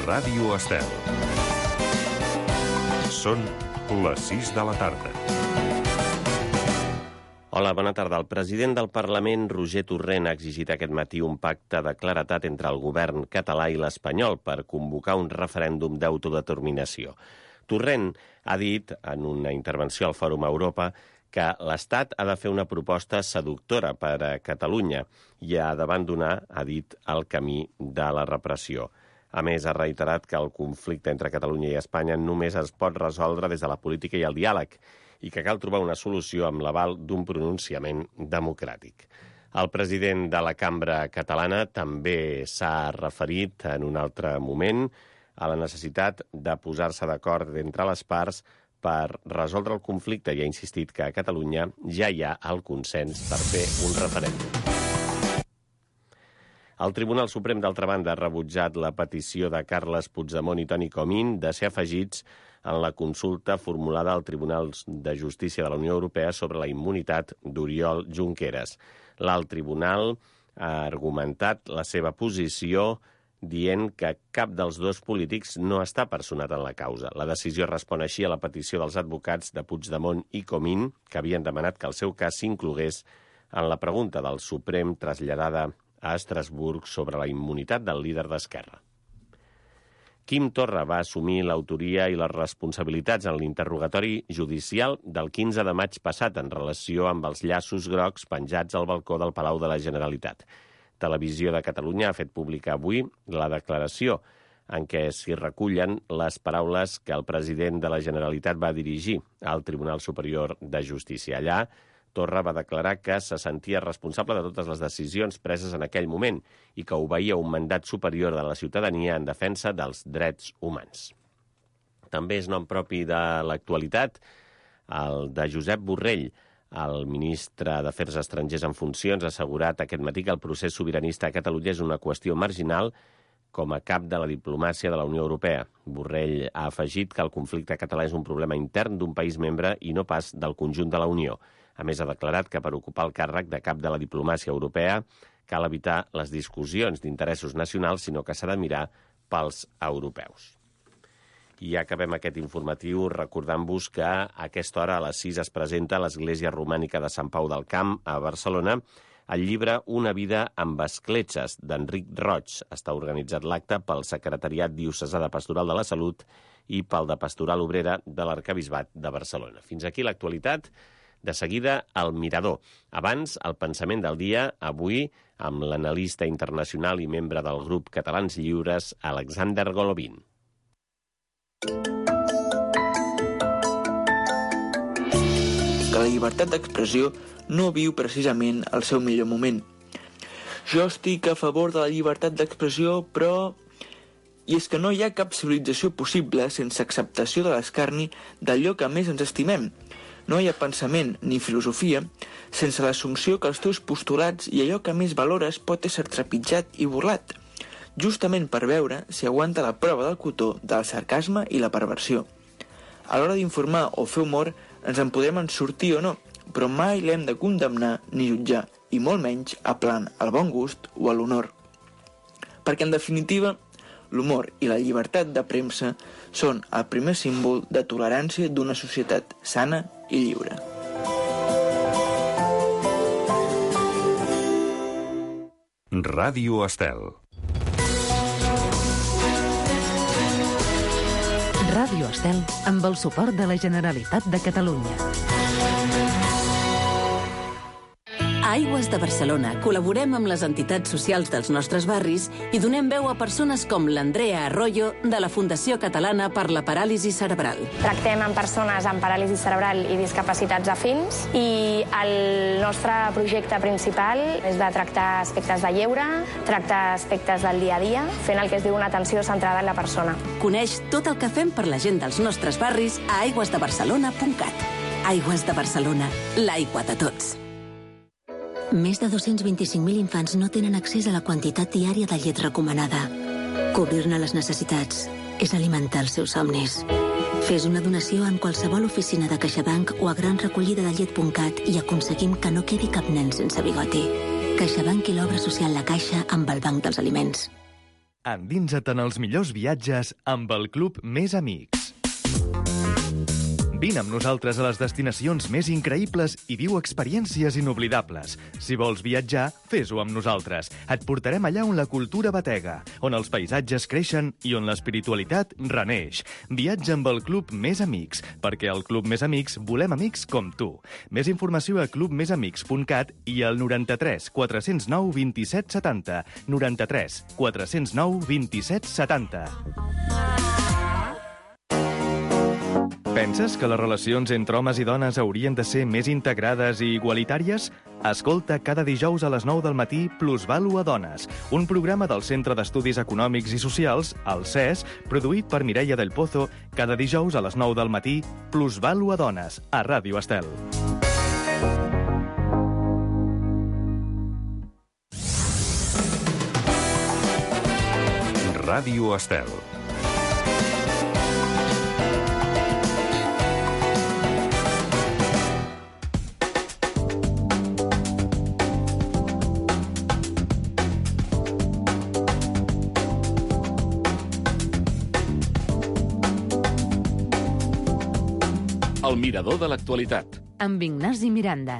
Ràdio Estel. Són les 6 de la tarda. Hola, bona tarda. El president del Parlament, Roger Torrent, ha exigit aquest matí un pacte de claredat entre el govern català i l'espanyol per convocar un referèndum d'autodeterminació. Torrent ha dit, en una intervenció al Fòrum Europa, que l'Estat ha de fer una proposta seductora per a Catalunya i ha d'abandonar, ha dit, el camí de la repressió. A més, ha reiterat que el conflicte entre Catalunya i Espanya només es pot resoldre des de la política i el diàleg i que cal trobar una solució amb l'aval d'un pronunciament democràtic. El president de la cambra catalana també s'ha referit en un altre moment a la necessitat de posar-se d'acord entre les parts per resoldre el conflicte i ha insistit que a Catalunya ja hi ha el consens per fer un referèndum. El Tribunal Suprem, d'altra banda, ha rebutjat la petició de Carles Puigdemont i Toni Comín de ser afegits en la consulta formulada al Tribunal de Justícia de la Unió Europea sobre la immunitat d'Oriol Junqueras. L'alt tribunal ha argumentat la seva posició dient que cap dels dos polítics no està personat en la causa. La decisió respon així a la petició dels advocats de Puigdemont i Comín, que havien demanat que el seu cas s'inclogués en la pregunta del Suprem traslladada a Estrasburg sobre la immunitat del líder d'Esquerra. Quim Torra va assumir l'autoria i les responsabilitats en l'interrogatori judicial del 15 de maig passat en relació amb els llaços grocs penjats al balcó del Palau de la Generalitat. Televisió de Catalunya ha fet pública avui la declaració en què s'hi recullen les paraules que el president de la Generalitat va dirigir al Tribunal Superior de Justícia. Allà, Torra va declarar que se sentia responsable de totes les decisions preses en aquell moment i que obeïa un mandat superior de la ciutadania en defensa dels drets humans. També és nom propi de l'actualitat el de Josep Borrell. El ministre d'Afers Estrangers en funcions ha assegurat aquest matí que el procés sobiranista a Catalunya és una qüestió marginal com a cap de la diplomàcia de la Unió Europea. Borrell ha afegit que el conflicte català és un problema intern d'un país membre i no pas del conjunt de la Unió. A més, ha declarat que per ocupar el càrrec de cap de la diplomàcia europea cal evitar les discussions d'interessos nacionals, sinó que s'ha de mirar pels europeus. I acabem aquest informatiu recordant-vos que a aquesta hora a les 6 es presenta a l'Església Romànica de Sant Pau del Camp, a Barcelona, el llibre Una vida amb escletxes, d'Enric Roig. Està organitzat l'acte pel Secretariat Diocesà de Pastoral de la Salut i pel de Pastoral Obrera de l'Arquebisbat de Barcelona. Fins aquí l'actualitat. De seguida, el Mirador. Abans, el pensament del dia, avui, amb l'analista internacional i membre del grup Catalans Lliures, Alexander Golovin. Que la llibertat d'expressió no viu precisament el seu millor moment. Jo estic a favor de la llibertat d'expressió, però... I és que no hi ha cap civilització possible sense acceptació de l'escarni d'allò que més ens estimem. No hi ha pensament ni filosofia sense l'assumpció que els teus postulats i allò que més valores pot ésser trepitjat i burlat, justament per veure si aguanta la prova del cotó del sarcasme i la perversió. A l'hora d'informar o fer humor ens en podem en sortir o no, però mai l'hem de condemnar ni jutjar, i molt menys aplant al bon gust o a l'honor. Perquè, en definitiva, l'humor i la llibertat de premsa són el primer símbol de tolerància d'una societat sana i lliure. Ràdio Estel. Ràdio Estel amb el suport de la Generalitat de Catalunya. A Aigües de Barcelona col·laborem amb les entitats socials dels nostres barris i donem veu a persones com l'Andrea Arroyo de la Fundació Catalana per la Paràlisi Cerebral. Tractem amb persones amb paràlisi cerebral i discapacitats afins i el nostre projecte principal és de tractar aspectes de lleure, tractar aspectes del dia a dia, fent el que es diu una atenció centrada en la persona. Coneix tot el que fem per la gent dels nostres barris a aigüesdebarcelona.cat. Aigües de Barcelona, l'aigua de tots. Més de 225.000 infants no tenen accés a la quantitat diària de llet recomanada. Cobrir-ne les necessitats és alimentar els seus somnis. Fes una donació en qualsevol oficina de CaixaBank o a granrecollidadellet.cat i aconseguim que no quedi cap nen sense bigoti. CaixaBank i l'obra social La Caixa amb el Banc dels Aliments. Endinsa't en els millors viatges amb el Club Més Amics. Vine amb nosaltres a les destinacions més increïbles i viu experiències inoblidables. Si vols viatjar, fes-ho amb nosaltres. Et portarem allà on la cultura batega, on els paisatges creixen i on l'espiritualitat reneix. Viatja amb el Club Més Amics, perquè al Club Més Amics volem amics com tu. Més informació a clubmesamics.cat i al 93 409 27 70. 93 409 27 70. Penses que les relacions entre homes i dones haurien de ser més integrades i igualitàries? Escolta cada dijous a les 9 del matí Plusvàlua Dones, un programa del Centre d'Estudis Econòmics i Socials, el CES, produït per Mireia del Pozo, cada dijous a les 9 del matí Plusvàlua Dones, a Ràdio Estel. Ràdio Estel. El mirador de l'actualitat. Amb Ignasi Miranda.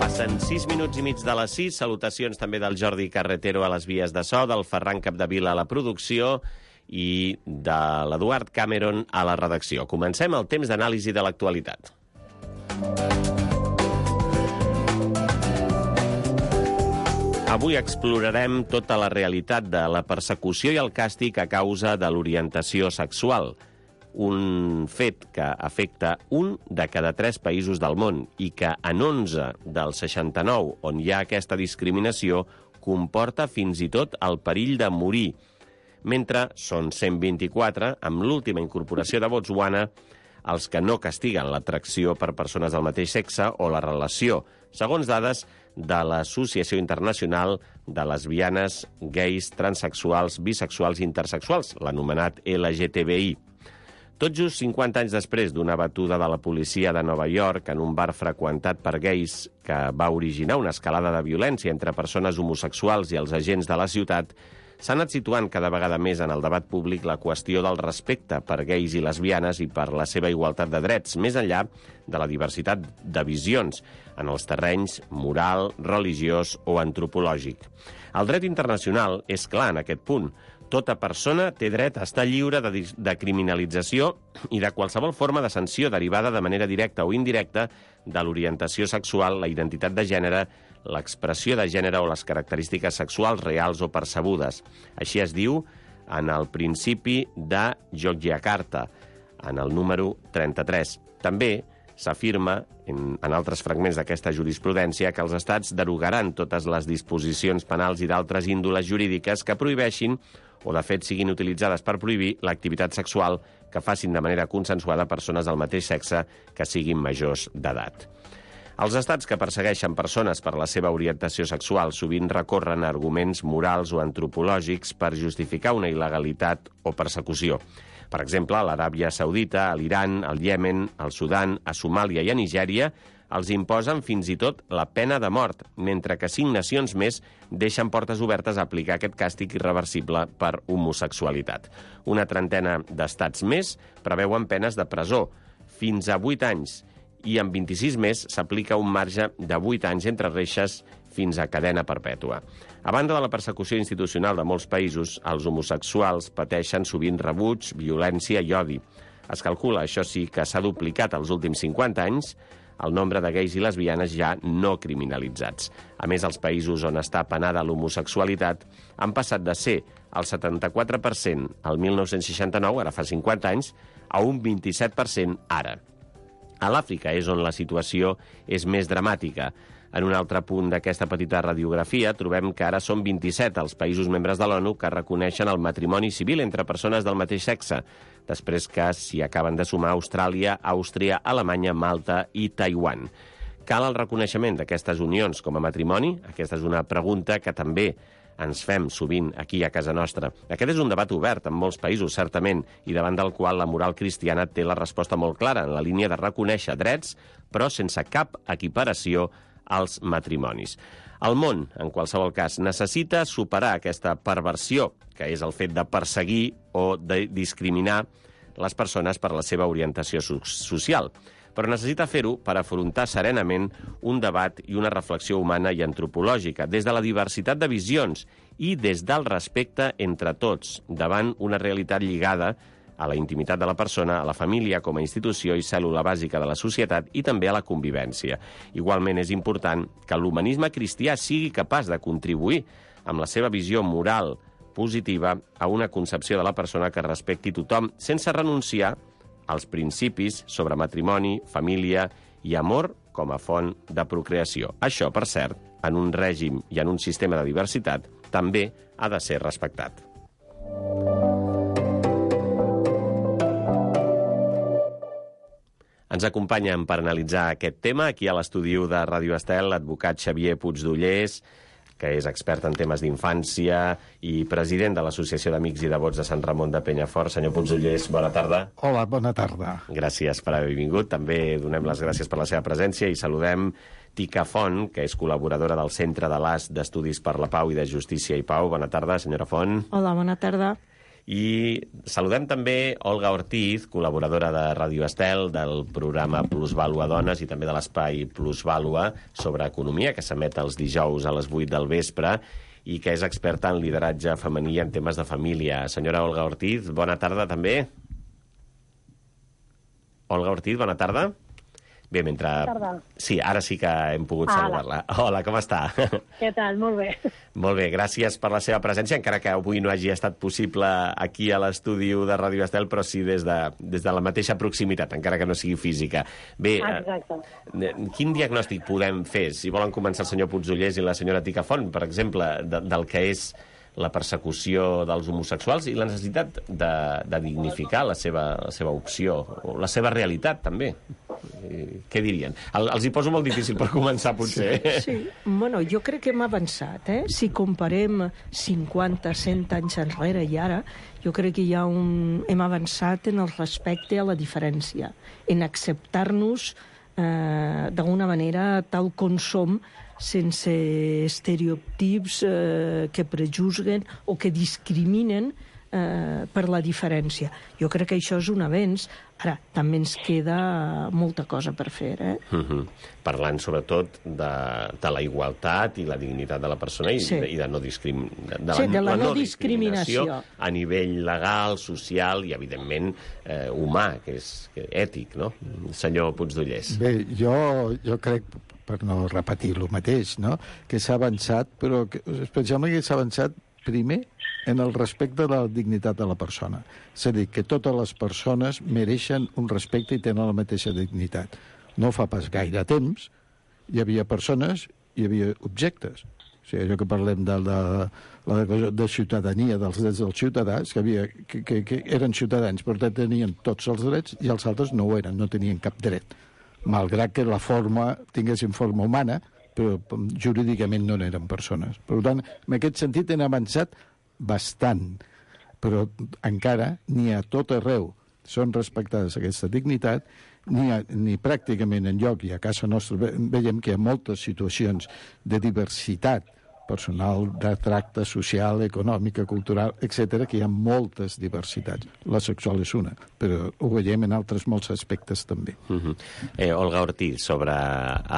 Passen 6 minuts i mig de les 6. Salutacions també del Jordi Carretero a les vies de so, del Ferran Capdevila a la producció i de l'Eduard Cameron a la redacció. Comencem el temps d'anàlisi de l'actualitat. Avui explorarem tota la realitat de la persecució i el càstig a causa de l'orientació sexual, un fet que afecta 1 de cada 3 països del món i que en 11 dels 69 on hi ha aquesta discriminació comporta fins i tot el perill de morir, mentre són 124, amb l'última incorporació de Botswana, els que no castiguen l'atracció per persones del mateix sexe o la relació, segons dades de l'Associació Internacional de Lesbianes, Gais, Transsexuals, Bisexuals i Intersexuals, l'anomenat LGTBI. Tot just 50 anys després d'una batuda de la policia de Nova York en un bar freqüentat per gais que va originar una escalada de violència entre persones homosexuals i els agents de la ciutat, s'ha anat situant cada vegada més en el debat públic la qüestió del respecte per gais i lesbianes i per la seva igualtat de drets, més enllà de la diversitat de visions en els terrenys moral, religiós o antropològic. El dret internacional és clar en aquest punt. Tota persona té dret a estar lliure de criminalització i de qualsevol forma de sanció derivada de manera directa o indirecta de l'orientació sexual, la identitat de gènere, l'expressió de gènere o les característiques sexuals reals o percebudes. Així es diu en el principi de Yogyakarta, en el número 33. També s'afirma, en altres fragments d'aquesta jurisprudència, que els estats derogaran totes les disposicions penals i d'altres índoles jurídiques que prohibeixin o de fet siguin utilitzades per prohibir l'activitat sexual que facin de manera consensuada persones del mateix sexe que siguin majors d'edat. Els estats que persegueixen persones per la seva orientació sexual sovint recorren a arguments morals o antropològics per justificar una il·legalitat o persecució. Per exemple, a l'Aràbia Saudita, a l'Iran, al Iemen, al Sudan, a Somàlia i a Nigèria els imposen fins i tot la pena de mort, mentre que 5 nacions més deixen portes obertes a aplicar aquest càstig irreversible per homosexualitat. Una trentena d'estats més preveuen penes de presó, fins a 8 anys, i en 26 més s'aplica un marge de 8 anys entre reixes fins a cadena perpètua. A banda de la persecució institucional de molts països, els homosexuals pateixen sovint rebuig, violència i odi. Es calcula, això sí, que s'ha duplicat els últims 50 anys el nombre de gais i lesbianes ja no criminalitzats. A més, els països on està penada l'homosexualitat han passat de ser el 74% al 1969, ara fa 50 anys, a un 27% ara. A l'Àfrica és on la situació és més dramàtica. En un altre punt d'aquesta petita radiografia trobem que ara són 27 els països membres de l'ONU que reconeixen el matrimoni civil entre persones del mateix sexe, després que s'hi acaben de sumar Austràlia, Àustria, Alemanya, Malta i Taiwan. cal el reconeixement d'aquestes unions com a matrimoni? Aquesta és una pregunta que també ens fem sovint aquí a casa nostra. Aquest és un debat obert en molts països, certament, i davant del qual la moral cristiana té la resposta molt clara, en la línia de reconèixer drets, però sense cap equiparació als matrimonis. El món, en qualsevol cas, necessita superar aquesta perversió, que és el fet de perseguir o de discriminar les persones per la seva orientació social. Però necessita fer-ho per afrontar serenament un debat i una reflexió humana i antropològica, des de la diversitat de visions i des del respecte entre tots, davant una realitat lligada a la intimitat de la persona, a la família com a institució i cèl·lula bàsica de la societat i també a la convivència. Igualment és important que l'humanisme cristià sigui capaç de contribuir amb la seva visió moral positiva a una concepció de la persona que respecti tothom, sense renunciar als principis sobre matrimoni, família i amor com a font de procreació. Això, per cert, en un règim i en un sistema de diversitat, també ha de ser respectat. Ens acompanyen per analitzar aquest tema aquí a l'estudi de Ràdio Estel l'advocat Xavier Puigdollers, que és expert en temes d'infància i president de l'Associació d'Amics i Devots de Sant Ramon de Penyafort. Senyor Puigdollers, bona tarda. Hola, bona tarda. Gràcies per haver vingut. També donem les gràcies per la seva presència i saludem Tica Font, que és col·laboradora del Centre de l'AS d'Estudis per la Pau i de Justícia i Pau. Bona tarda, senyora Font. Hola, bona tarda. I saludem també Olga Ortiz, col·laboradora de Ràdio Estel, del programa Plusvàlua Dones i també de l'espai Plusvàlua sobre economia, que s'emet els dijous a les 8 del vespre i que és experta en lideratge femení en temes de família. Senyora Olga Ortiz, bona tarda també. Olga Ortiz, bona tarda. Bé, mentre... Tarda. Sí, ara sí que hem pogut saludar-la. Hola, com està? Què tal? Molt bé. Molt bé, gràcies per la seva presència, encara que avui no hagi estat possible aquí a l'estudi de Ràdio Estel, però sí des de la mateixa proximitat, encara que no sigui física. Bé, quin diagnòstic podem fer? Si volen començar el senyor Puigdollers i la senyora Tica Font, per exemple, del que és la persecució dels homosexuals i la necessitat de dignificar la seva opció, o la seva realitat, també. Què dirien? Els hi poso molt difícil per començar, potser. Sí. Bueno, jo crec que hem avançat, Si comparem 50, 100 anys enrere i ara, jo crec que hem avançat en el respecte a la diferència, en acceptar-nos d'alguna manera tal com som, sense estereotips que prejuzguen o que discriminen per la diferència. Jo crec que això és un avenç. Ara, també ens queda molta cosa per fer, Parlant, sobretot, de la igualtat i la dignitat de la persona i de la no discriminació a nivell legal, social i, evidentment, humà, que és ètic, no? Senyor Puigdollers. Bé, jo crec, per no repetir el mateix, no?, que s'ha avançat, però especialment que s'ha avançat primer en el respecte de la dignitat de la persona. És a dir, que totes les persones mereixen un respecte i tenen la mateixa dignitat. No fa pas gaire temps hi havia persones, hi havia objectes. O sigui, allò que parlem de ciutadania, dels drets dels ciutadans, que eren ciutadans, però tenien tots els drets i els altres no ho eren, no tenien cap dret. Malgrat que la forma tinguessin forma humana, però jurídicament no eren persones. Per tant, en aquest sentit hem avançat bastant, però encara ni a tot arreu són respectades aquesta dignitat, ni pràcticament enlloc, i a casa nostra veiem que hi ha moltes situacions de diversitat personal, de tracte social, econòmica, cultural, etc., que hi ha moltes diversitats. La sexual és una, però ho veiem en altres molts aspectes també. Olga Ortiz, sobre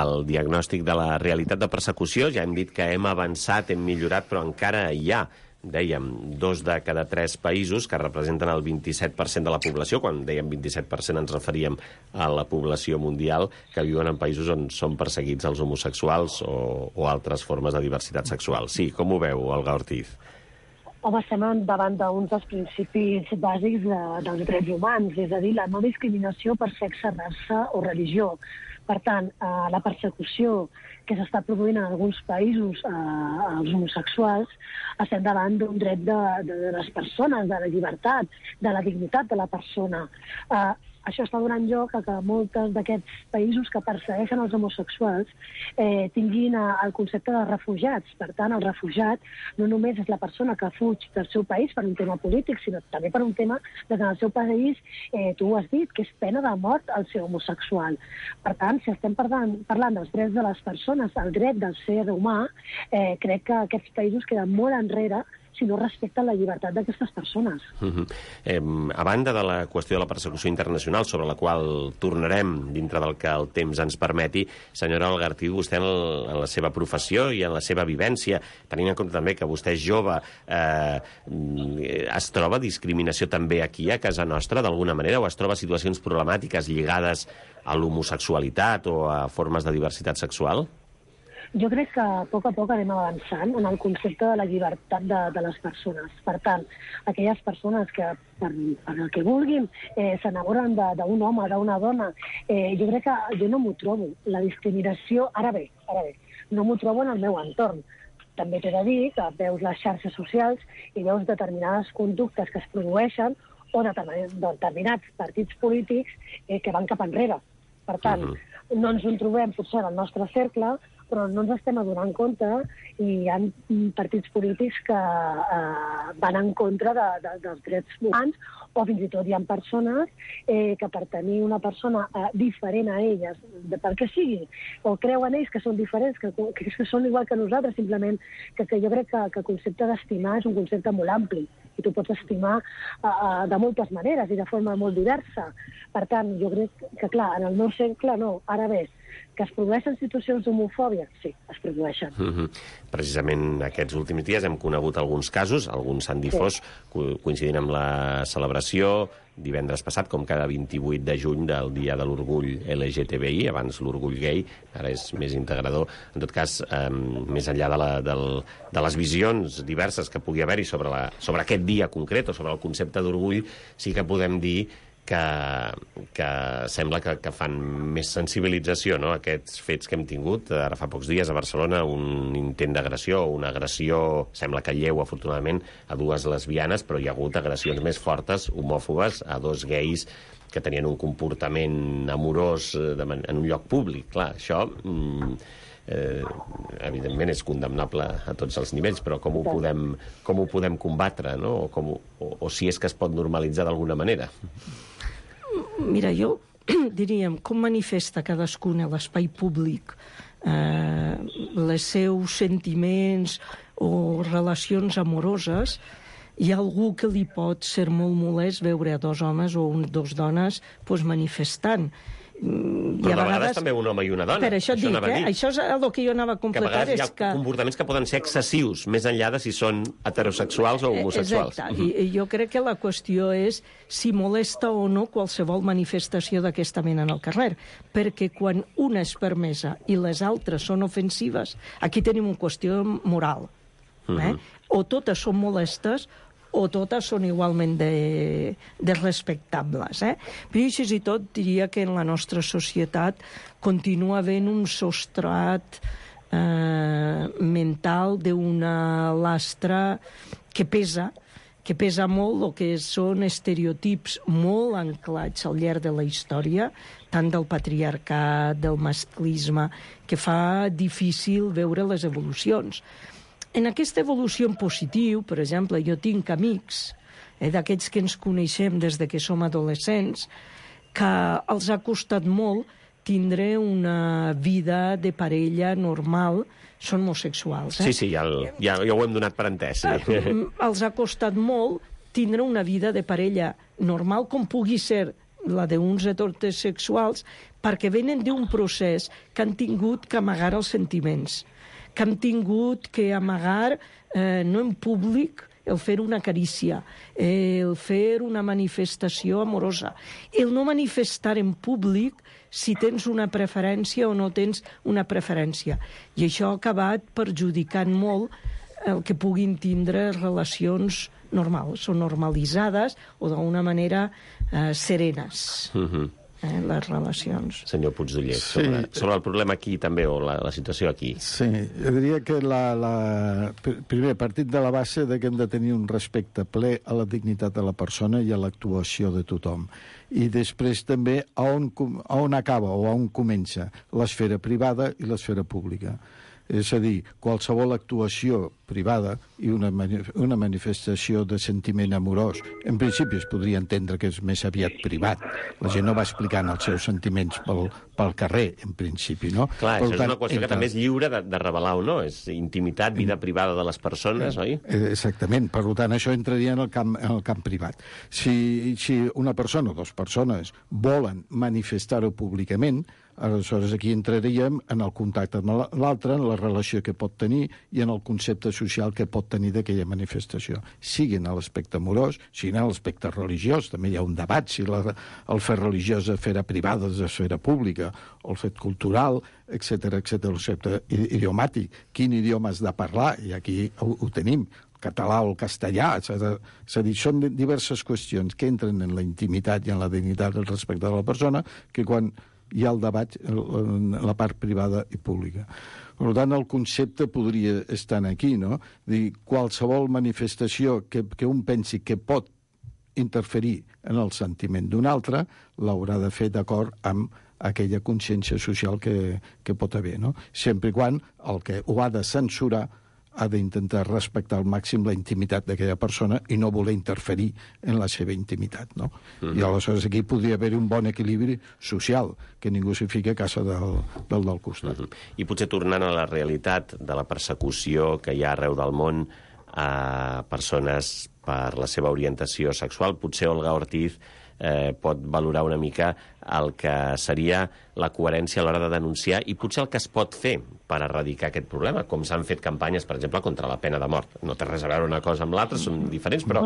el diagnòstic de la realitat de persecució, ja hem dit que hem avançat, hem millorat, però encara hi ha, dèiem, 2 de cada 3 països que representen el 27% de la població. Quan dèiem 27% ens referíem a la població mundial, que viuen en països on són perseguits els homosexuals o altres formes de diversitat sexual. Sí, com ho veu, Olga Ortiz? Home, estem davant d'uns dels principis bàsics dels drets humans, és a dir, la no discriminació per sexe, raça o religió. Per tant, la persecució que s'està produint en alguns països als homosexuals, estem davant d'un dret de les persones, de la llibertat, de la dignitat de la persona. això està donant lloc a que molts d'aquests països que persegueixen els homosexuals tinguin el concepte de refugiats. Per tant, el refugiat no només és la persona que fuig del seu país per un tema polític, sinó també per un tema que en el seu país, tu ho has dit, que és pena de mort el ser homosexual. Per tant, si estem parlant dels drets de les persones, el dret del ser humà, crec que aquests països queden molt enrere si no respecten la llibertat d'aquestes persones. A banda de la qüestió de la persecució internacional, sobre la qual tornarem dintre del que el temps ens permeti, senyora Algartiu, vostè en la seva professió i en la seva vivència, tenint en compte també que vostè és jove, es troba discriminació també aquí a casa nostra, d'alguna manera, o es troba situacions problemàtiques lligades a l'homosexualitat o a formes de diversitat sexual? Jo crec que a poc anem avançant en el concepte de la llibertat de les persones. Per tant, aquelles persones que, per el que vulguin, s'enamoren d'un home, d'una dona, jo crec que jo no m'ho trobo. La discriminació, ara bé, no m'ho trobo en el meu entorn. També t'he de dir que veus les xarxes socials i veus determinades conductes que es produeixen o determinats partits polítics que van cap enrere. Per tant, no ens ho trobem potser en el nostre cercle, però no ens estem adonant compte i hi ha partits polítics que van en contra dels drets humans, o fins i tot hi ha persones que per tenir una persona diferent a elles, per què sigui, o creuen ells que són diferents, que són igual que nosaltres, simplement que jo crec que el concepte d'estimar és un concepte molt ampli, i tu pots estimar de moltes maneres i de forma molt diversa. Per tant, jo crec que, clar, en el meu cercle no. Ara bé, que es produeixen situacions d'homofòbia? Sí, es produeixen. Precisament aquests últims dies hem conegut alguns casos, alguns s'han difós, coincidint amb la celebració divendres passat, com cada 28 de juny, del Dia de l'Orgull LGTBI, abans l'Orgull Gay, ara és més integrador. En tot cas, més enllà de les visions diverses que pugui haver-hi sobre aquest dia concret o sobre el concepte d'orgull, sí que podem dir que sembla que fan més sensibilització, no?, aquests fets que hem tingut. Ara fa pocs dies a Barcelona un intent d'agressió, una agressió, sembla que lleu, afortunadament, a dues lesbianes, però hi ha hagut agressions més fortes, homòfobes, a dos gais que tenien un comportament amorós en un lloc públic. Clar, això evidentment és condemnable a tots els nivells, però com ho podem combatre, no? O si és que es pot normalitzar d'alguna manera? Mira, jo diríem, com manifesta cadascun a l'espai públic els seus sentiments o relacions amoroses, hi ha algú que li pot ser molt molest veure a dos homes o dos dones manifestant. Però de vegades també un home i una dona. Per això et dic, això és el que jo anava a completar. Que a vegades hi ha comportaments que poden ser excessius, més enllà de si són heterosexuals o homosexuals. Exacte, i jo crec que la qüestió és si molesta o no qualsevol manifestació d'aquesta mena en el carrer, perquè quan una és permesa i les altres són ofensives, aquí tenim una qüestió moral. O totes són molestes o totes són igualment respectables. Però així i tot diria que en la nostra societat continua havent un substrat mental d'una lastra que pesa molt, o que són estereotips molt anclats al llarg de la història, tant del patriarcat, del masclisme, que fa difícil veure les evolucions. En aquesta evolució en positiu, per exemple, jo tinc amics, d'aquests que ens coneixem des de que som adolescents, que els ha costat molt tindre una vida de parella normal, són homosexuals. Sí, ja ho hem donat per entès. Sí. Els ha costat molt tindre una vida de parella normal, com pugui ser la d'uns heterosexuals, perquè venen d'un procés que han tingut que amagar els sentiments, que han tingut que amagar, no en públic, el fer una carícia, el fer una manifestació amorosa, el no manifestar en públic si tens una preferència o no tens una preferència. I això ha acabat perjudicant molt el que puguin tindre relacions normals o normalitzades o d'una manera serenes. les relacions. Senyor Puigdoller, sobre el problema aquí també, o la situació aquí. Sí, jo diria que primer, partit de la base que hem de tenir un respecte ple a la dignitat de la persona i a l'actuació de tothom. I després també a on acaba o a on comença l'esfera privada i l'esfera pública. És a dir, qualsevol actuació privada i una manifestació de sentiment amorós, en principi es podria entendre que és més aviat privat. La gent no va explicant els seus sentiments pel carrer, en principi, no? Clar, això és una qüestió que també és lliure de revelar o no. És intimitat, vida privada de les persones, oi? Exactament. Per tant, això entraria en el camp privat. Si una persona o dues persones volen manifestar-ho públicament, aleshores aquí entraríem en el contacte amb l'altre, en la relació que pot tenir i en el concepte social que pot tenir d'aquella manifestació. Siguin a l'aspecte amorós, siguin a l'aspecte religiós. També hi ha un debat si el fet religiós és esfera privada, és esfera pública, o el fet cultural, etc., el concepte idiomàtic. Quin idioma has de parlar? I aquí ho tenim. Català o el castellà, és a dir, són diverses qüestions que entren en la intimitat i en la dignitat del respecte de la persona que quan hi ha el debat en la part privada i pública. Per tant, el concepte podria estar aquí, no? Dir, qualsevol manifestació que un pensi que pot interferir en el sentiment d'un altre, l'haurà de fer d'acord amb aquella consciència social que pot haver, no? Sempre i quan el que ho ha de censurar ha d'intentar respectar al màxim la intimitat d'aquella persona i no voler interferir en la seva intimitat, no? I aleshores aquí podria haver un bon equilibri social, que ningú s'hi fica a casa del costat. I potser tornant a la realitat de la persecució que hi ha arreu del món a persones per la seva orientació sexual, potser Olga Ortiz pot valorar una mica el que seria la coherència a l'hora de denunciar i potser el que es pot fer per erradicar aquest problema, com s'han fet campanyes, per exemple, contra la pena de mort. No té res a veure una cosa amb l'altra, són diferents, però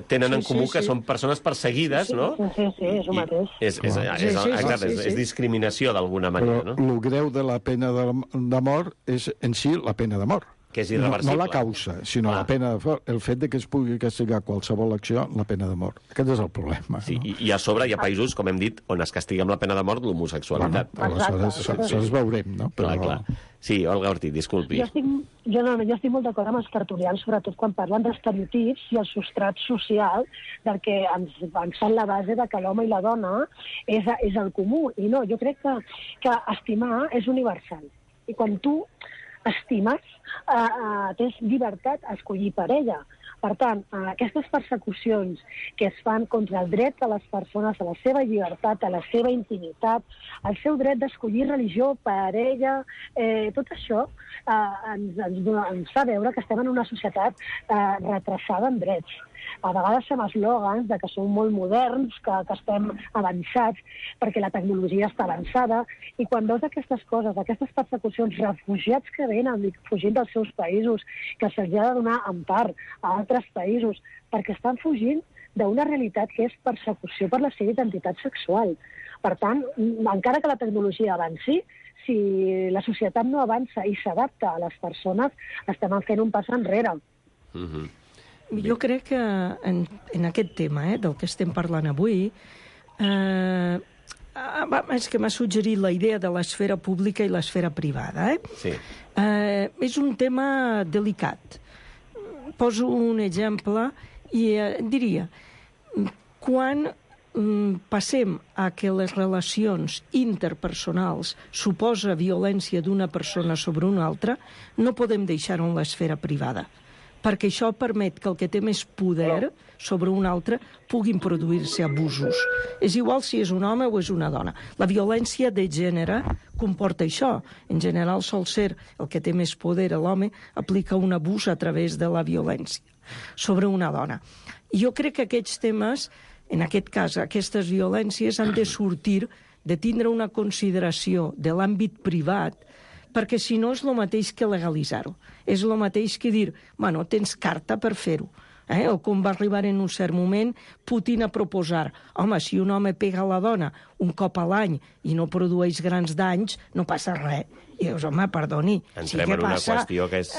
tenen en comú que són persones perseguides, no? Sí, és el mateix. És discriminació d'alguna manera, no? Però el greu de la pena de mort és en si la pena de mort. Que és irreversible. No la causa, sinó la pena de mort. El fet de que es pugui castigar qualsevol acció, la pena de mort. Aquest és el problema. Sí, i a sobre hi ha països, com hem dit, on es castiga amb la pena de mort l'homosexualitat. Aleshores veurem, no? Clar. Sí, Olga Ortiz, disculpi. Jo estic molt d'acord amb els tertulians, sobretot quan parlen d'estereotips i el substrat social del que ens fan la base de que l'home i la dona és el comú. I no, jo crec que estimar és universal. I quan tu estimes, tens llibertat a escollir parella. Per tant, aquestes persecucions que es fan contra el dret de les persones a la seva llibertat, a la seva intimitat, al seu dret d'escollir religió, parella, tot això ens fa veure que estem en una societat retrasada en drets. A vegades fem eslògans de que som molt moderns, que estem avançats, perquè la tecnologia està avançada, i quan veus aquestes coses, aquestes persecucions, refugiats que venen fugint dels seus països, que se'ls ha de donar empar a altres països, perquè estan fugint d'una realitat que és persecució per la seva identitat sexual. Per tant, encara que la tecnologia avanci, si la societat no avança i s'adapta a les persones, estem fent un pas enrere. Jo crec que en aquest tema del que estem parlant avui, és que m'ha suggerit la idea de l'esfera pública i l'esfera privada. Sí. És un tema delicat. Poso un exemple i diria, quan passem a que les relacions interpersonals suposa violència d'una persona sobre una altra, no podem deixar-ho en l'esfera privada, perquè això permet que el que té més poder sobre un altre puguin produir-se abusos. És igual si és un home o és una dona. La violència de gènere comporta això. En general sol ser el que té més poder, l'home, aplica un abús a través de la violència sobre una dona. I jo crec que aquests temes, en aquest cas, aquestes violències han de sortir, de tindre una consideració de l'àmbit privat, perquè si no és el mateix que legalitzar-ho. És el mateix que dir, bueno, tens carta per fer-ho. O com va arribar en un cert moment Putin a proposar, home, si un home pega a la dona un cop a l'any i no produeix grans danys, no passa res. I dius, home, perdoni. Entrem en una qüestió que és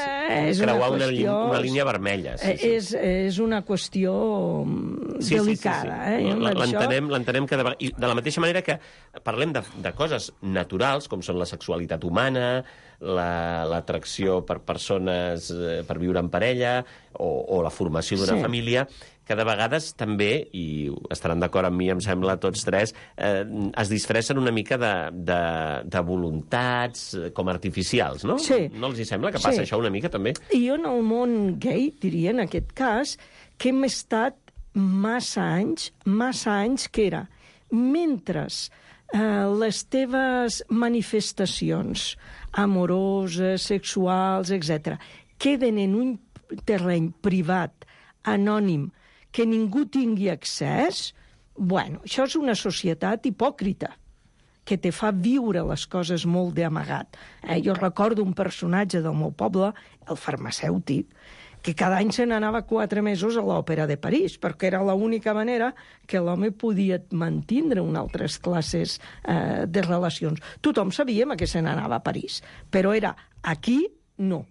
creuar una línia vermella. És una qüestió delicada. L'entenem que de la mateixa manera que parlem de coses naturals, com són la sexualitat humana, l'atracció per persones per viure en parella o la formació d'una família, que de vegades també, i estaran d'acord amb mi, em sembla, tots tres, es disfressen una mica de voluntats com artificials, no? Sí. No els hi sembla que passa això una mica, també? I jo en el món gay, diria, en aquest cas, que hem estat massa anys que era, mentre les teves manifestacions amoroses, sexuals, etc., queden en un terreny privat, anònim, que ningú tingui accés, bueno, això és una societat hipòcrita, que te fa viure les coses molt d'amagat. Jo recordo un personatge del meu poble, el farmacèutic, que cada any se n'anava 4 mesos a l'òpera de París, perquè era l'única manera que l'home podia mantindre unes altres classes de relacions. Tothom sabíem que se n'anava a París, però era aquí, no.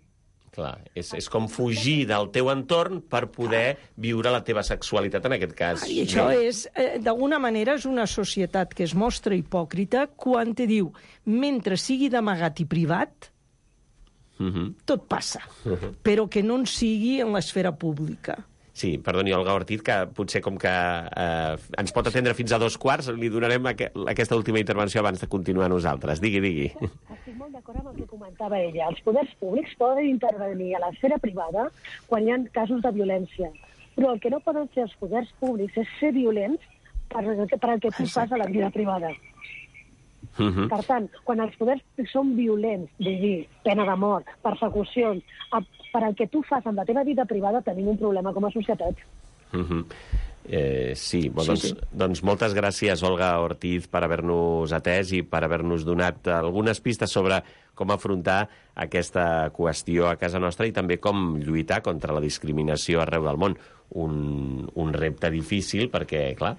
Clar, és com fugir del teu entorn per poder viure la teva sexualitat, en aquest cas. I això és, d'alguna manera, és una societat que es mostra hipòcrita quan te diu, mentre sigui d'amagat i privat, tot passa, però que no en sigui en l'esfera pública. Sí, perdoni, Olga Ortiz, que potser com que ens pot atendre fins a 2:15, li donarem aquesta última intervenció abans de continuar nosaltres. Digui. Estic molt d'acord amb el que comentava ella. Els poders públics poden intervenir a l'esfera privada quan hi ha casos de violència, però el que no poden fer els poders públics és ser violents per el que tu fas a la vida privada. Per tant, quan els poders són violents, dir, pena de mort, persecucions, per al que tu fas amb la teva vida privada tenim un problema com a societat. Sí, doncs moltes gràcies, Olga Ortiz, per haver-nos atès i per haver-nos donat algunes pistes sobre com afrontar aquesta qüestió a casa nostra i també com lluitar contra la discriminació arreu del món. Un repte difícil perquè, clar,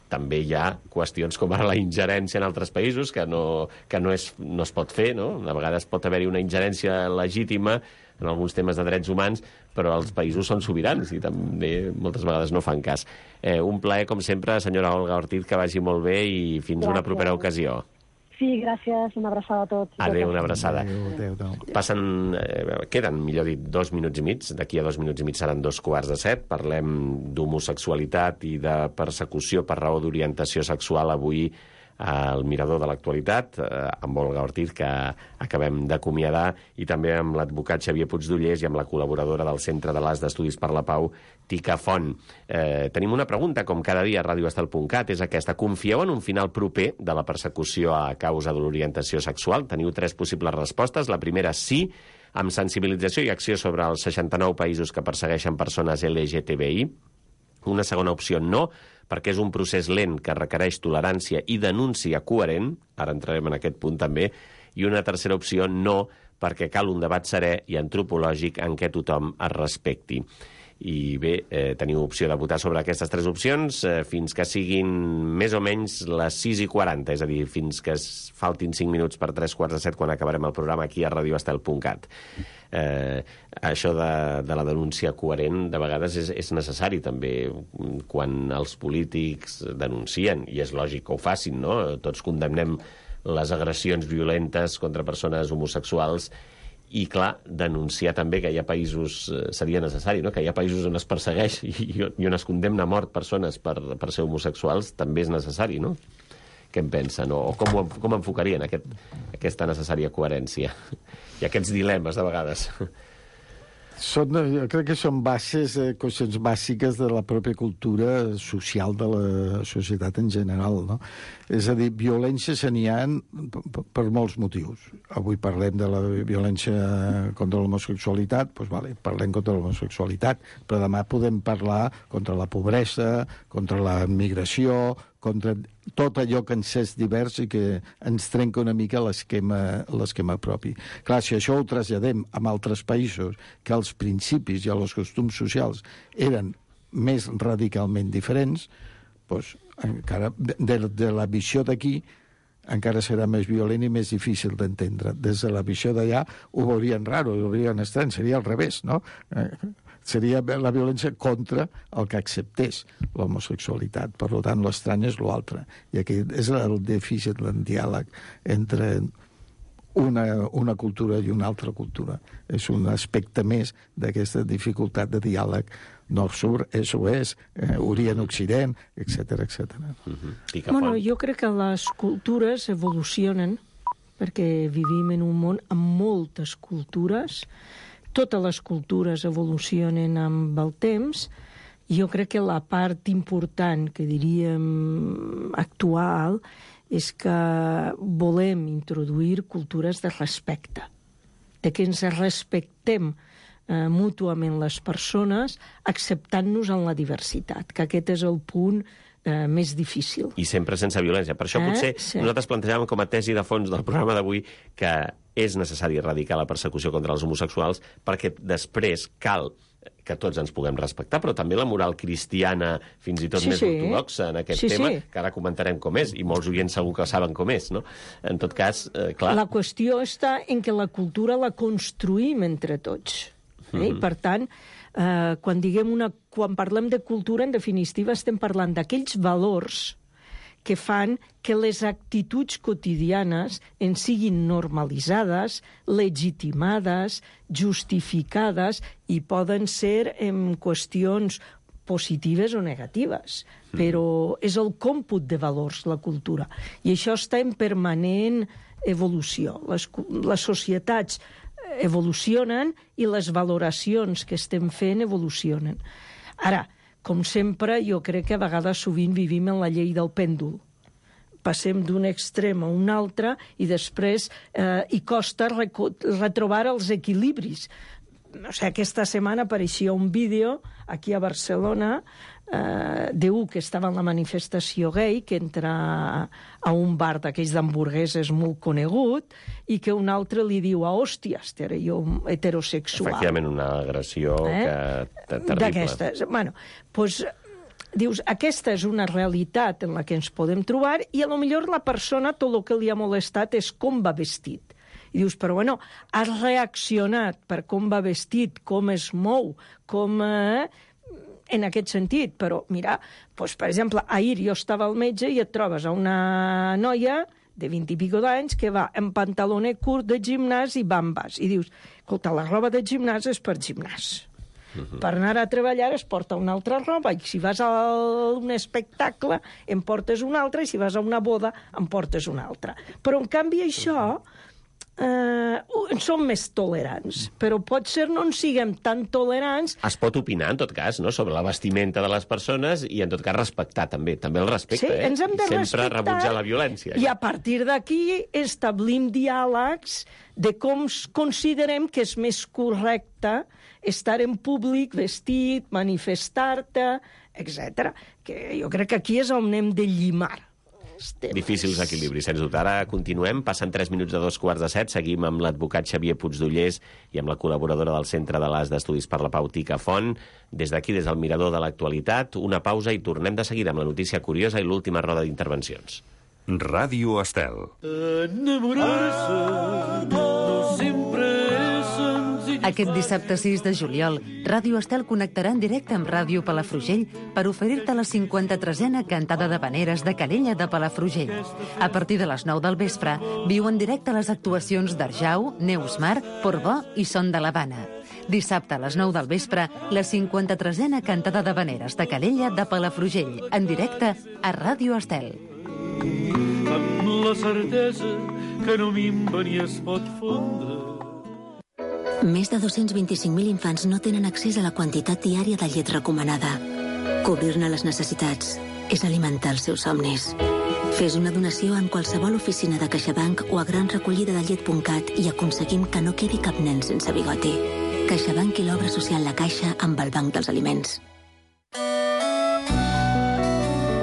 també hi ha qüestions com ara la ingerència en altres països que no es pot fer, no? A vegades pot haver-hi una ingerència legítima en alguns temes de drets humans, però els països són sobirans i també moltes vegades no fan cas. Un plaer, com sempre, senyora Olga Ortiz, que vagi molt bé i fins una propera ocasió. Sí, gràcies, una abraçada a tots. Adéu, una abraçada. Adéu. Queden, millor dit, 2 minuts i mig. D'aquí a 2 minuts i mig seran 6:45. Parlem d'homosexualitat i de persecució per raó d'orientació sexual avui al Mirador de l'Actualitat, amb Olga Ortiz, que acabem d'acomiadar, i també amb l'advocat Xavier Puigdollers i amb la col·laboradora del Centre de l'As d'Estudis per la Pau, Tica Font. Tenim una pregunta, com cada dia a radioestel.cat, és aquesta. Confieu en un final proper de la persecució a causa de l'orientació sexual? Teniu 3 possibles respostes. La primera, sí, amb sensibilització i acció sobre els 69 països que persegueixen persones LGTBI. Una segona opció, no, perquè és un procés lent que requereix tolerància i denúncia coherent, ara entrarem en aquest punt també, i una tercera opció, no, perquè cal un debat serè i antropològic en què tothom es respecti. I bé, teniu opció de votar sobre aquestes 3 opcions fins que siguin més o menys les 6:40, és a dir, fins que faltin 5 minuts per 3:45 quan acabarem el programa aquí a radioestel.cat. Això de la denúncia coherent de vegades és necessari també quan els polítics denuncien, i és lògic que ho facin, no? Tots condemnem les agressions violentes contra persones homosexuals i, clar, denunciar també que hi ha països, seria necessari, no? Que hi ha països on es persegueix i on es condemna a mort persones per ser homosexuals, també és necessari, no? Què en pensen? O com enfocarien aquesta necessària coherència? I aquests dilemes, de vegades. Jo crec que són qüestions bàsiques de la pròpia cultura social de la societat en general, no? És a dir, violències n'hi ha per molts motius. Avui parlem de la violència contra l'homosexualitat, doncs vale, parlem contra l'homosexualitat, però demà podem parlar contra la pobresa, contra la migració, contra tot allò que ens és divers i que ens trenca una mica l'esquema propi. Clar, si això ho traslladem a altres països que els principis i els costums socials eren més radicalment diferents, doncs encara de la visió d'aquí encara serà més violent i més difícil d'entendre. Des de la visió d'allà ho veurien raro, ho veurien estrany, seria al revés, no? Seria la violència contra el que acceptés l'homosexualitat. Per tant, l'estrany és l'altre. I aquí és el dèficit del diàleg entre una cultura i una altra cultura. És un aspecte més d'aquesta dificultat de diàleg nord-sud, est-oest, orient-occident, etc. Bueno, jo crec que les cultures evolucionen perquè vivim en un món amb moltes cultures. Totes les cultures evolucionen amb el temps. Jo crec que la part important, que diríem actual, és que volem introduir cultures de respecte, de que ens respectem mútuament les persones, acceptant-nos en la diversitat, que aquest és el punt més difícil. I sempre sense violència. Per això potser nosaltres plantejàvem com a tesi de fons del programa d'avui que és necessari erradicar la persecució contra els homosexuals perquè després cal que tots ens puguem respectar, però també la moral cristiana, fins i tot més ortodoxa en aquest tema, que ara comentarem com és, i molts oients segur que saben com és, no? En tot cas, clar... La qüestió està en que la cultura la construïm entre tots. I, per tant, quan parlem de cultura, en definitiva, estem parlant d'aquells valors que fan que les actituds quotidianes en siguin normalitzades, legitimades, justificades i poden ser en qüestions positives o negatives. Però és el còmput de valors, la cultura. I això està en permanent evolució. Les societats evolucionen i les valoracions que estem fent evolucionen. Ara, com sempre, jo crec que a vegades sovint vivim en la llei del pèndol. Passem d'un extrem a un altre i després hi costa retrobar els equilibris. O sigui, aquesta setmana apareixia un vídeo aquí a Barcelona d'un que estava en la manifestació gay, que entra a un bar d'aquells d'hamburgueses molt conegut i que un altre li diu a hòsties, jo heterosexual. Efectivament, una agressió terrible. D'aquestes. Bueno, doncs dius, aquesta és una realitat en la que ens podem trobar i a lo millor la persona tot el que li ha molestat és com va vestit. I dius, però bueno, has reaccionat per com va vestit, com es mou, com... en aquest sentit, però mira, doncs, per exemple, ahir jo estava al metge i et trobes a una noia de 20 i pico d'anys que va en pantalonet curt de gimnàs i bambes. I dius, escolta, la roba de gimnàs és per gimnàs. Per anar a treballar es porta una altra roba i si vas a un espectacle en portes una altra i si vas a una boda en portes una altra. Però, en canvi, això... som més tolerants, però potser no en siguem tan tolerants. Es pot opinar, en tot cas, no?, sobre la vestimenta de les persones i, en tot cas, respectar també el respecte. Sí, ens hem de sempre rebutjar la violència. I a partir d'aquí establim diàlegs de com considerem que és més correcte estar en públic, vestit, manifestar-te, etc. Que jo crec que aquí és on hem de llimar. Difícils equilibris, sens dubte. Ara continuem, passen 3 minuts de 2:45, seguim amb l'advocat Xavier Puigdollers i amb la col·laboradora del Centre de l'AS d'Estudis per la Pau, Tica Font. Des d'aquí, des del mirador de l'actualitat, una pausa i tornem de seguida amb la notícia curiosa i l'última roda d'intervencions. Ràdio Estel. Enamorar-se no sempre és senzill. Aquest dissabte 6 de juliol, Ràdio Estel connectarà en directe amb Ràdio Palafrugell per oferir-te la 53a cantada d'havaneres de Calella de Palafrugell. A partir de les 9 del vespre, viu en directe les actuacions d'Arjau, Neus Mar, Portbó i Son de l'Havana. Dissabte a les 9 del vespre, la 53a cantada d'havaneres de Calella de Palafrugell, en directe a Ràdio Estel. Amb la certesa que no minva ni es pot fondre. Més de 225.000 infants no tenen accés a la quantitat diària de llet recomanada. Cobrir-ne les necessitats és alimentar els seus somnis. Fes una donació en qualsevol oficina de CaixaBank o a granrecollidadellet.cat i aconseguim que no quedi cap nen sense bigoti. CaixaBank i l'obra social La Caixa amb el Banc dels Aliments.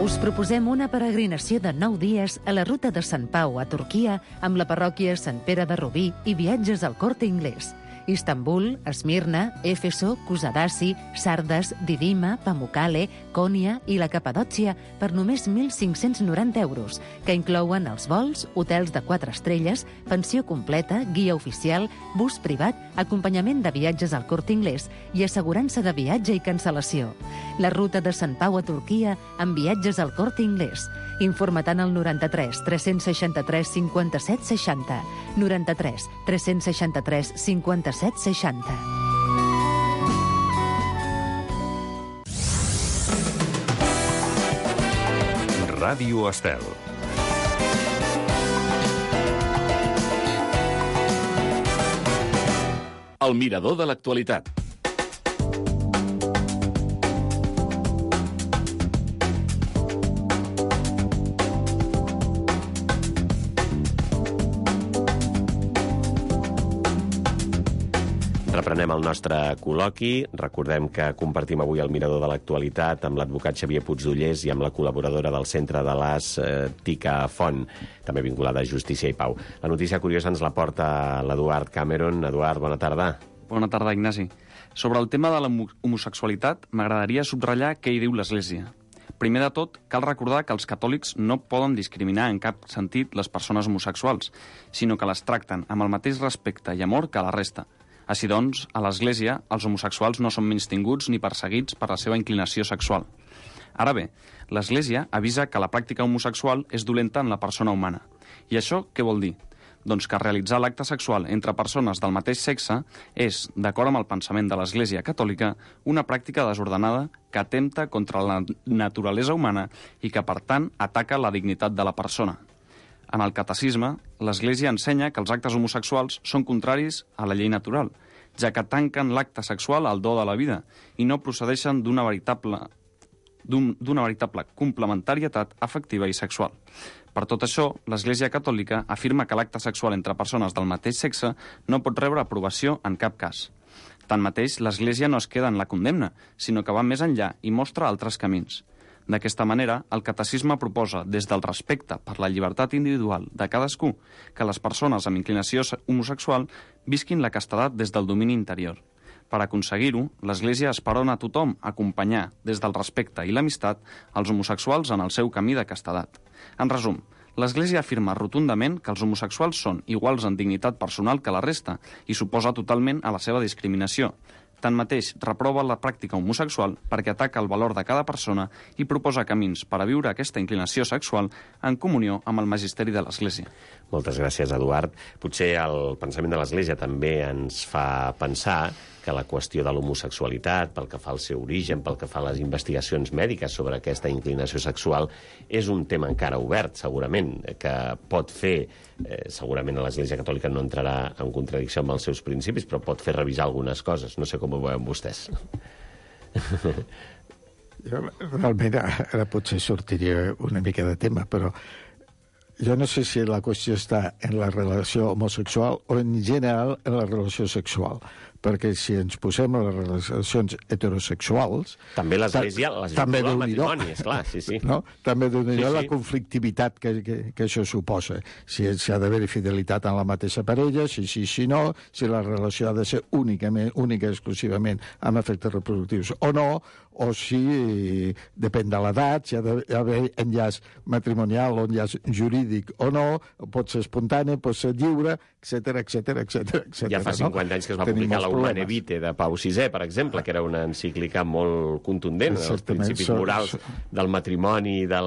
Us proposem una peregrinació de 9 dies a la ruta de Sant Pau a Turquia amb la parròquia Sant Pere de Rubí i viatges al Corte Inglés. Istanbul, Esmirna, Éfeso, Kusadasi, Sardes, Didima, Pamukkale, Konya i la Capadòcia per només 1.590 euros, que inclouen els vols, hotels de 4 estrelles, pensió completa, guia oficial, bus privat, acompanyament de viatges al Corte Inglés i assegurança de viatge i cancel·lació. La ruta de Sant Pau a Turquia amb viatges al Corte Inglés. Informa-te'n al 93 363 57 60. 93 363 57 60. Ràdio Estel. El mirador de l'actualitat. Reprenem el nostre col·loqui. Recordem que compartim avui el mirador de l'actualitat amb l'advocat Xavier Puigdollers i amb la col·laboradora del Centre de l'As, Tica Font, també vinculada a Justícia i Pau. La notícia curiosa ens la porta l'Eduard Cameron. Eduard, bona tarda. Bona tarda, Ignasi. Sobre el tema de l'homosexualitat, m'agradaria subratllar què hi diu l'Església. Primer de tot, cal recordar que els catòlics no poden discriminar en cap sentit les persones homosexuals, sinó que les tracten amb el mateix respecte i amor que la resta. Així doncs, a l'Església, els homosexuals no són menystinguts ni perseguits per la seva inclinació sexual. Ara bé, l'Església avisa que la pràctica homosexual és dolenta en la persona humana. I això què vol dir? Doncs que realitzar l'acte sexual entre persones del mateix sexe és, d'acord amb el pensament de l'Església Catòlica, una pràctica desordenada que atempta contra la naturalesa humana i que, per tant, ataca la dignitat de la persona. En el catecisme, l'Església ensenya que els actes homosexuals són contraris a la llei natural, ja que tanquen l'acte sexual al do de la vida i no procedeixen d'una veritable complementarietat afectiva i sexual. Per tot això, l'Església Catòlica afirma que l'acte sexual entre persones del mateix sexe no pot rebre aprovació en cap cas. Tanmateix, l'Església no es queda en la condemna, sinó que va més enllà i mostra altres camins. D'aquesta manera, el catecisme proposa, des del respecte per la llibertat individual de cadascú, que les persones amb inclinació homosexual visquin la castedat des del domini interior. Per aconseguir-ho, l'Església esperona a tothom acompanyar, des del respecte i l'amistat, els homosexuals en el seu camí de castedat. En resum, l'Església afirma rotundament que els homosexuals són iguals en dignitat personal que la resta i s'oposa totalment a la seva discriminació. Tanmateix, reprova la pràctica homosexual perquè ataca el valor de cada persona i proposa camins per a viure aquesta inclinació sexual en comunió amb el magisteri de l'Església. Moltes gràcies, Eduard. Potser el pensament de l'Església també ens fa pensar que la qüestió de l'homosexualitat, pel que fa al seu origen, pel que fa a les investigacions mèdiques sobre aquesta inclinació sexual, és un tema encara obert, segurament, que pot fer, segurament l'Església Catòlica no entrarà en contradicció amb els seus principis, però pot fer revisar algunes coses. No sé com ho veuen vostès. Jo, realment, ara potser sortiria una mica de tema, però jo no sé si la qüestió està en la relació homosexual o en general en la relació sexual, perquè si ens posem a les relacions heterosexuals... També l'Església les vincula al matrimoni, esclar, sí, sí. No? També déu-n'hi-do la conflictivitat que això suposa. Si ha d'haver fidelitat en la mateixa parella, si no, si la relació ha de ser única exclusivament amb efectes reproductius o no, o si depèn de l'edat, si ha d'haver enllaç matrimonial o enllaç jurídic o no, pot ser espontani, pot ser lliure, etc. Ja fa 50 anys que es va publicar la Humane Vitae de Pau VI, per exemple, que era una encíclica molt contundent dels principis morals del matrimoni i de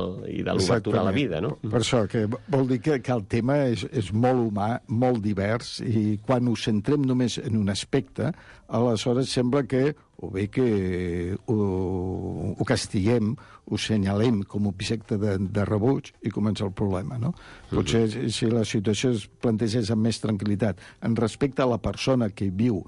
l'obertura a la vida, no? Per això, que vol dir que el tema és molt humà, molt divers, i quan ho centrem només en un aspecte, aleshores sembla que o bé que ho castiguem, ho senyalem com un objecte de rebuig i comença el problema, no? Potser si la situació es plantegés amb més tranquil·litat en respecte a la persona que viu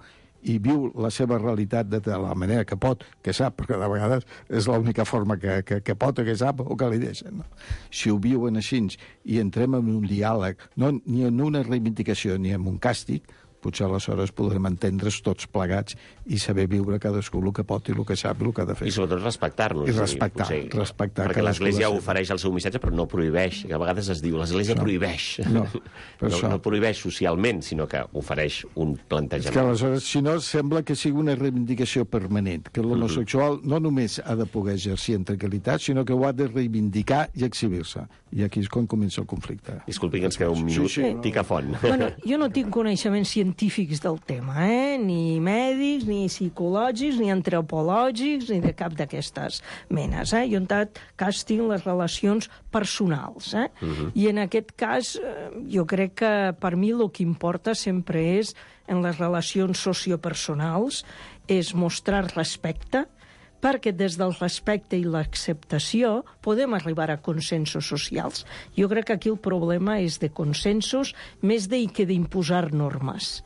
i viu la seva realitat de la manera que pot, que sap, perquè de vegades és l'única forma que pot o que sap o que li deixen. No? Si ho viuen així i entrem en un diàleg, no ni en una reivindicació ni en un càstig, potser aleshores podrem entendre's tots plegats i saber viure cadascú el que pot i el que sap i el que ha de fer. I sobretot respectar-nos. I respectar. Perquè l'Església ofereix el seu missatge, però no prohibeix. Que a vegades es diu, l'Església prohibeix. No prohibeix socialment, sinó que ofereix un plantejament. És que aleshores, si no, sembla que sigui una reivindicació permanent, que l'homosexual no només ha de poder exercir en tranquil·litat, sinó que ho ha de reivindicar i exhibir-se. I aquí és quan comença el conflicte. Disculpi, que ens queda un minut. Tica Font. Bueno, jo no tinc coneixements científics del tema, ni mèdics, ni psicològics, ni antropològics, ni de cap d'aquestes menes. Jo en tot cas tinc les relacions personals. I en aquest cas jo crec que per mi el que importa sempre és, en les relacions sociopersonals, és mostrar respecte, perquè des del respecte i l'acceptació podem arribar a consensos socials. Jo crec que aquí el problema és de consensos més que d'imposar normes.